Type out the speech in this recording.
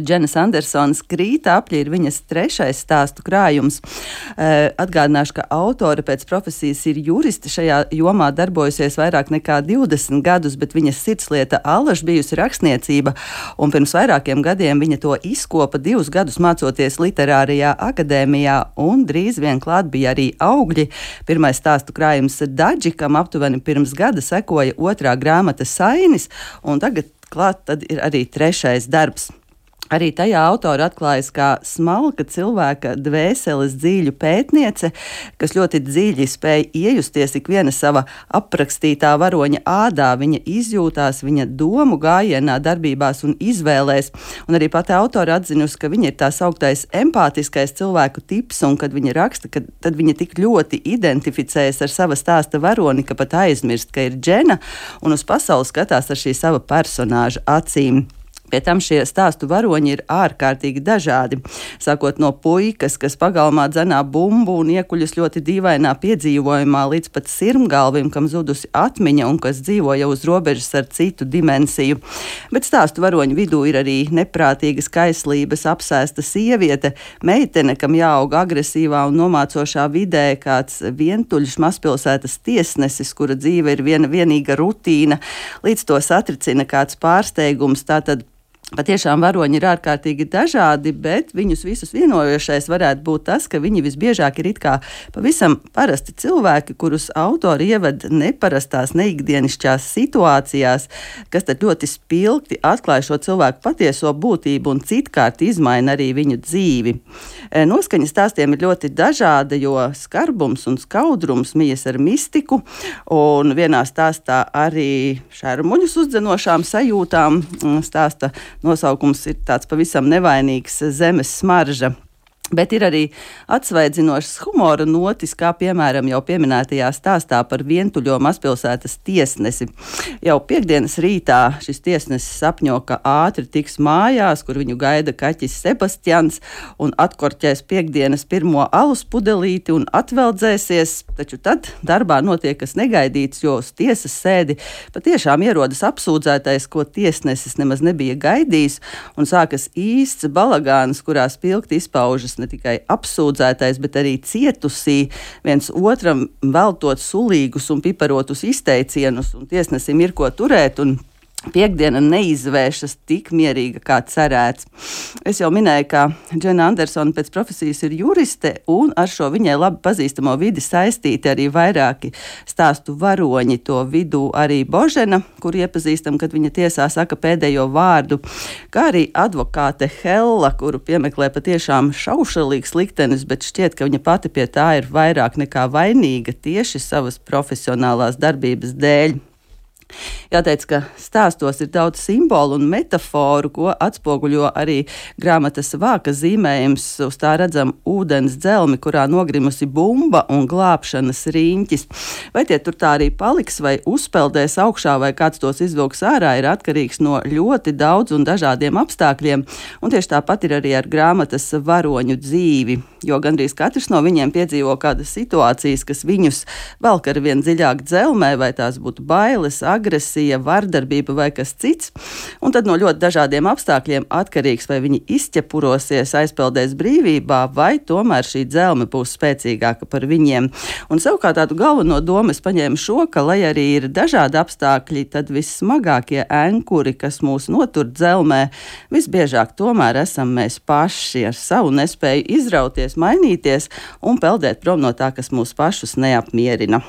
Dženas Andersonas Krīta apļi ir viņas trešais stāstu krājums. Atgādināšu, ka autore pēc profesijas ir juriste, šajā jomā darbojusies vairāk nekā 20 gadus, bet viņas sirdslieta allaž bijusi rakstniecība, un pirms vairākiem gadiem viņa to izkopa 2 gadus mācoties literārajā akadēmijā, un drīz vien klāt bija arī augļi. Pirmais stāstu krājums Daži, kam aptuveni pirms gada sekoja otrā grāmata Sainis, un tagad klāt tad ir arī trešais darbs. Arī tajā autora atklājas kā smalka cilvēka dvēseles dziļu pētniece, kas ļoti dziļi spēj iejusties ikviena sava aprakstītā varoņa ādā, viņa izjūtās, viņa domu gājienā, darbībās un izvēlēs. Un arī pati autora atzinusi, ka viņa ir tā sauktais empātiskais cilvēku tips, un kad viņa raksta, tad viņa tik ļoti identificējas ar sava stāsta varoni, ka pat aizmirst, ka ir Džena, un uz pasauli skatās ar šī sava personāža acīm. Pie tam šie stāstu varoņi ir ārkārtīgi dažādi. Sākot no puikas, kas pagalmā dzenā bumbu un iekuļas ļoti dīvainā piedzīvojumā, līdz pat sirmgalvim, kam zudusi atmiņa un kas dzīvo jau uz robežas ar citu dimensiju. Bet stāstu varoņu vidū ir arī neprātīgas kaislības apsēsta sieviete, meitene, kam jāaug agresīvā un nomācošā vidē, kāds vientuļš mazpilsētas tiesnesis, kura dzīve ir vienīga rutīna, līdz to satricina kāds pārsteigums. Tātad patiešām varoņi ir ārkārtīgi dažādi, bet viņus visus vienojošais varētu būt tas, ka viņi visbiežāk ir it kā pavisam parasti cilvēki, kurus autori ieved neparastās, neikdienišķās situācijās, kas tad ļoti spilgti atklāja šo cilvēku patieso būtību un citkārt izmaina arī viņu dzīvi. Noskaņa stāstiem ir ļoti dažāda, jo skarbums un skaudrums mijas ar mistiku, un vienā stāstā arī šermuļus uzdzenošām sajūtām. Stāsta nosaukums ir tāds pavisam nevainīgs zemes smarža. Bet ir arī atsvaidzinošas humora notis, kā piemēram jau pieminētajā stāstā par vientuļo mazpilsētas tiesnesi. Jau piekdienas rītā šis tiesnesis sapņo, ka ātri tiks mājās, kur viņu gaida kaķis Sebastians, un atkorķēs piekdienas pirmo alus pudelīti un atveldzēsies, taču tad darbā notiek kas negaidīts, jo uz tiesas sēdi patiešām ierodas apsūdzētais, ko tiesnesis nemaz nebija gaidījis, un sākas īsts balagāns, kurā spilgti izpaužas ne tikai apsūdzētais, bet arī cietusī, viens otram veltot sulīgus un piparotus izteicienus, un tiesnesim ir ko turēt, un piekdiena neizvēršas tik mierīga, kā cerēts. Es jau minēju, ka Džena Andersona pēc profesijas ir juriste, un ar šo viņai labi pazīstamo vidi saistīti arī vairāki stāstu varoņi. To vidū arī Božena, kur iepazīstam, kad viņa tiesā saka pēdējo vārdu, kā arī advokāte Hella, kuru piemeklē patiešām šaušalīgs liktenis, bet šķiet, ka viņa pati pie tā ir vairāk nekā vainīga tieši savas profesionālās darbības dēļ. Jāteic, ka stāstos ir daudz simbolu un metaforu, ko atspoguļo arī grāmatas vāka zīmējums. Uz tā redzam ūdens dzelmi, kurā nogrimusi bumba un glābšanas riņķis. Vai tie tur tā arī paliks, vai uzpeldēs augšā, vai kāds tos izvilks ārā, ir atkarīgs no ļoti daudz un dažādiem apstākļiem. Un tieši tāpat ir arī ar grāmatas varoņu dzīvi, jo gandrīz katrs no viņiem piedzīvo kādas situācijas, kas viņus velk ar vien dziļāk dzelmē, vai tās būtu bailes, agresija, vardarbība vai kas cits, un tad no ļoti dažādiem apstākļiem atkarīgs, vai viņi izķepurosies, aizpeldēs brīvībā, vai tomēr šī dzelme būs spēcīgāka par viņiem. Un savukārt tādu galveno domu es paņēmu šo, ka, lai arī ir dažādi apstākļi, tad vissmagākie ankuri, kas mūs notur dzelmē, visbiežāk tomēr esam mēs paši ar savu nespēju izrauties, mainīties un peldēt prom no tā, kas mūs pašus neapmierina.